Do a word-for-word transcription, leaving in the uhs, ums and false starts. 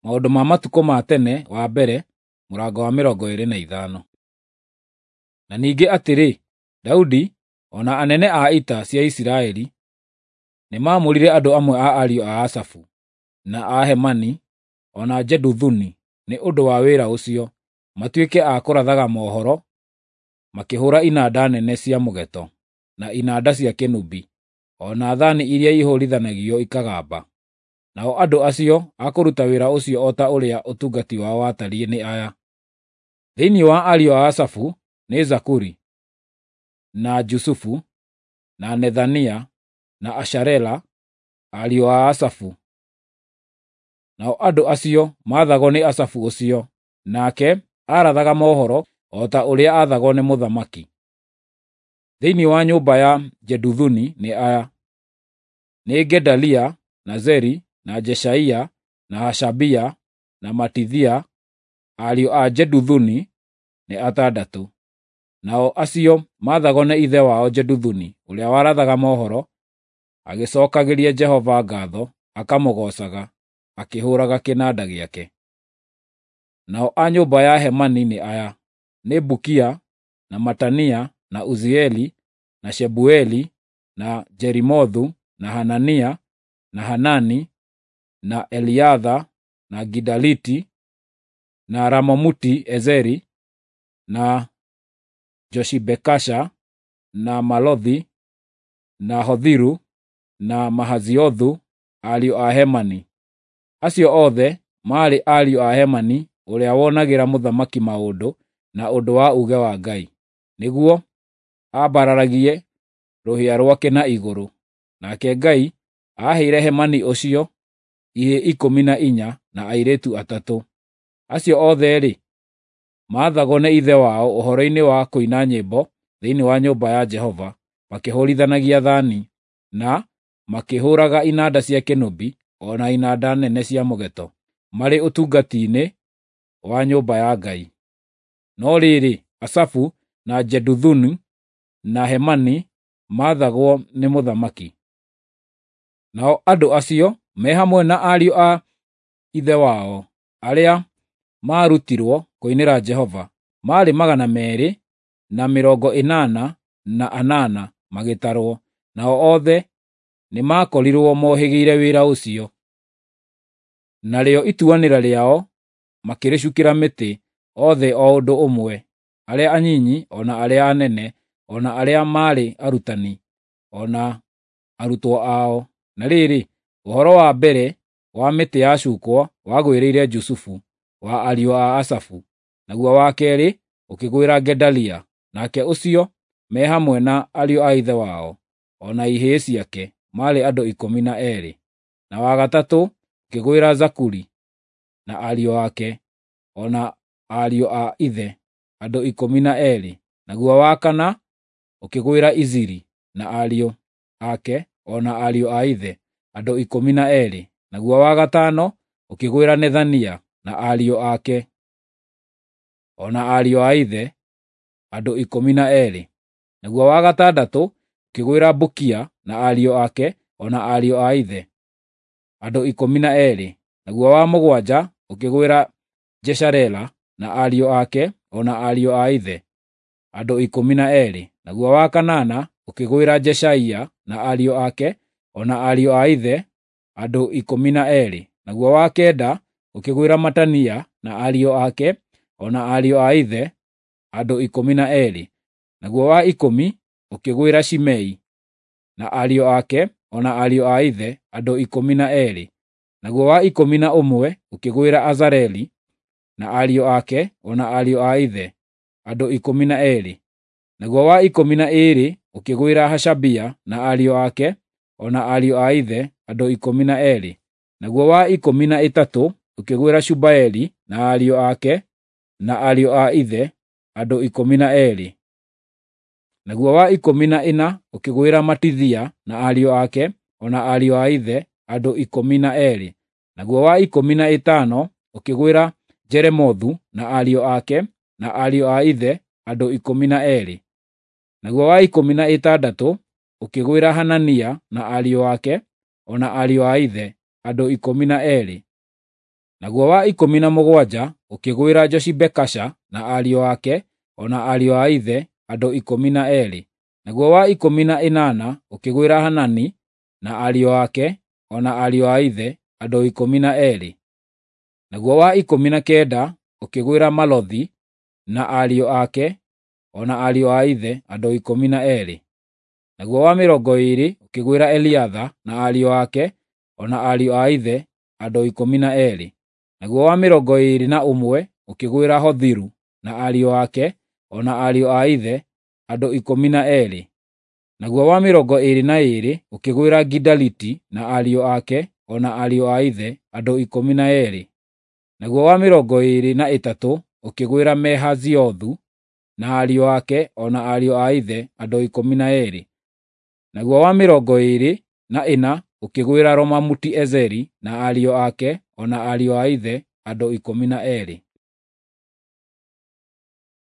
Maũndũ ma Matukũ ma Tene wa mbere, mũrango wa mĩrongo ĩĩrĩ na ithano. Na ningĩ atĩrĩ, Daudi, o na anene a ita cia Isiraeli, nĩmaamũrire andũ amwe a ariũ a Asafu, na a Hemani, o na Jeduthuni nĩ ũndũ wa wĩra ũcio, matuĩke a kũrathaga mohoro makĩhũũra inanda nene cia mũgeeto, na inanda cia kĩnũbi, o na thaani iria ihũũrithanagio ikagamba. Nao andũ acio a kũruta wĩra ũcio o ta ũrĩa ũtungati wao watariĩ nĩ aya: Thĩinĩ wa ariũ a Asafu nĩ Zakuri, na Jusufu, na Nethania, na Asharela, ariũ a Asafu. Nao andũ acio maathagwo nĩ Asafu ũcio, nake aarathaga mohoro o ta ũrĩa aathagwo nĩ mũthamaki. Thĩinĩ wa nyũmba ya Jeduthuni nĩ aya: nĩ Gedalia, na Zeri, na Jeshaia, na Hashabia, na Matithia, ariũ a Jeduthuni nĩ atandatũ. Nao acio maathagwo nĩ ithe wao Jeduthuni ũrĩa warathaga mohoro, agĩcookagĩria Jehova ngaatho akamũgoocaga, akĩhũũraga kĩnanda gĩake. Nao a nyũmba ya Hemani nĩ aya: nĩ Bukia, na Matania, na Uzieli, na Shebueli, na Jerimothu, na Hanania, na Hanani, na Eliatha, na Gidaliti, na Ramomuti-Ezeri, na Joshibekasha, na Malothi, na Hothiru, na Mahaziothu, ariũ a Hemani. Acio othe maarĩ ariũ a Hemani ũrĩa wonagĩra mũthamaki maũndũ na ũndũ wa uuge wa Ngai, nĩguo ambararagie rũhĩa rwake na igũrũ. Nake Ngai aaheire Hemani ũcio ihĩĩ ikũmi na inya na airĩtu atatũ. Acio othe-rĩ, maathagwo nĩ ithe wao ũhoro-inĩ wa kũina nyĩmbo thĩinĩ wa nyũmba ya Jehova, makĩhũũrithanagia thaani, na makĩhũũraga inanda cia kĩnũbi o na inanda nene cia mũgeeto, marĩ ũtungati-inĩ wa nyũmba ya Ngai. No rĩrĩ, Asafu na Jeduthuni na Hemani maathagwo nĩ mũthamaki. Nao andũ acio, me hamwe na ariũ a ithe wao, arĩa maarutirwo kũinĩra Jehova, maarĩ magana meerĩ na mĩrongo ĩnana na anana magĩtarwo, nao othe nĩmakorirwo mohĩgĩire wĩra ũcio. Narĩo ituanĩra rĩao makĩrĩcukĩra mĩtĩ, othe o ũndũ ũmwe, arĩa anyinyi o na arĩa anene, o na arĩa maarĩ arutani, o na arutwo ao. Na rĩrĩ, ũhoro wa mbere wa mĩtĩ yacukwo wagwĩrĩire Jusufu, wa ariũ a Asafu, naguo wa keerĩ ũkĩgwĩra Gedalia, nake ũcio me hamwe na ariũ a ithe wao, o na ihĩĩ ciake, maarĩ andũ ikũmi na eerĩ. Na wa gatatũ ũkĩgwĩra Zakuri na ariũ ake, o na ariũ a ithe, andũ ikũmi na eerĩ. Naguo wa kana ũkĩgwĩra Iziri na ariũ ake, o na ariũ a ithe, andũ ikũmi na eerĩ. Naguo wa gatano ũkĩgwĩra Nethania na ariũ ake, o na ariũ a ithe, andũ ikũmi na eerĩ. Naguo wa gatandatũ ũkĩgwĩra Bukia na ariũ ake, o na ariũ a ithe, andũ ikũmi na eerĩ. Naguo wa mũgwanja ũkĩgwĩra Jesharela na ariũ ake, o na ariũ a ithe, andũ ikũmi na eerĩ. Naguo wa kanana ũkĩgwĩra Jeshaia na ariũ ake, o na ariũ a ithe, andũ ikũmi na eerĩ. Naguo wa kenda ũkĩgwĩra Matania na ariũ ake, o na ariũ a ithe, andũ ikũmi na eerĩ. Naguo wa ikũmi ũkĩgwĩra Shimei na ariũ ake, o na ariũ a ithe, andũ ikũmi na eerĩ. Naguo wa ikũmi na ũmwe ũkĩgwĩra Azareli na ariũ ake, o na ariũ a ithe, andũ ikũmi na eerĩ. Naguo wa ikũmi na ĩĩrĩ ũkĩgwĩra Hashabia na ariũ ake, o na ariũ a ithe, andũ ikũmi na eerĩ. Naguo wa ikũmi na ĩtatũ ũkĩgwĩra Shubaeli na ariũ ake, na ariũ a ithe, andũ ikũmi na eerĩ. Naguo wa ikũmi na ĩna ũkĩgwĩra Matithia na ariũ ake, o na ariũ a ithe, andũ ikũmi na eerĩ. Naguo wa ikũmi na ĩtano ũkĩgwĩra Jeremothu na ariũ ake, na ariũ a ithe, andũ ikũmi na eerĩ. Naguo wa ikũmi na ĩtandatũ ũkĩgwĩra Hanania na ariũ ake, o na ariũ a ithe, andũ ikũmi na eerĩ. Naguo wa ikũmi na mũgwanja ũkĩgwĩra Joshibekasha na ariũ ake, o na ariũ a ithe, andũ ikũmi na eerĩ. Naguo wa ikũmi na ĩnana ũkĩgwĩra Hanani na ariũ ake, o na ariũ a ithe, andũ ikũmi na eerĩ. Naguo wa ikũmi na kenda ũkĩgwĩra Malothi na ariũ ake, o na ariũ a ithe, andũ ikũmi na eerĩ. Naguo wa mĩrongo ĩĩrĩ ũkĩgwĩra Eliatha na ariũ ake, o na ariũ a ithe, andũ ikũmi na eerĩ. Naguo wa mĩrongo ĩĩrĩ na ũmwe ũkĩgwĩra Hothiru na ariũ ake, o na ariũ a ithe, andũ ikũmi na eerĩ. Naguo wa mĩrongo ĩĩrĩ na ĩĩrĩ ũkĩgwĩra Gidaliti na ariũ ake, o na ariũ a ithe, andũ ikũmi na eerĩ. Naguo wa mĩrongo ĩĩrĩ na ĩtatũ ũkĩgwĩra Mehaziothu na ariũ ake, o na ariũ a ithe, andũ ikũmi na eerĩ. Naguo wa mĩrongo ĩĩrĩ na ĩna ũkĩgwĩra Romamuti-Ezeri na ariũ ake, o na ariũ a ithe, andũ ikũmi na eerĩ.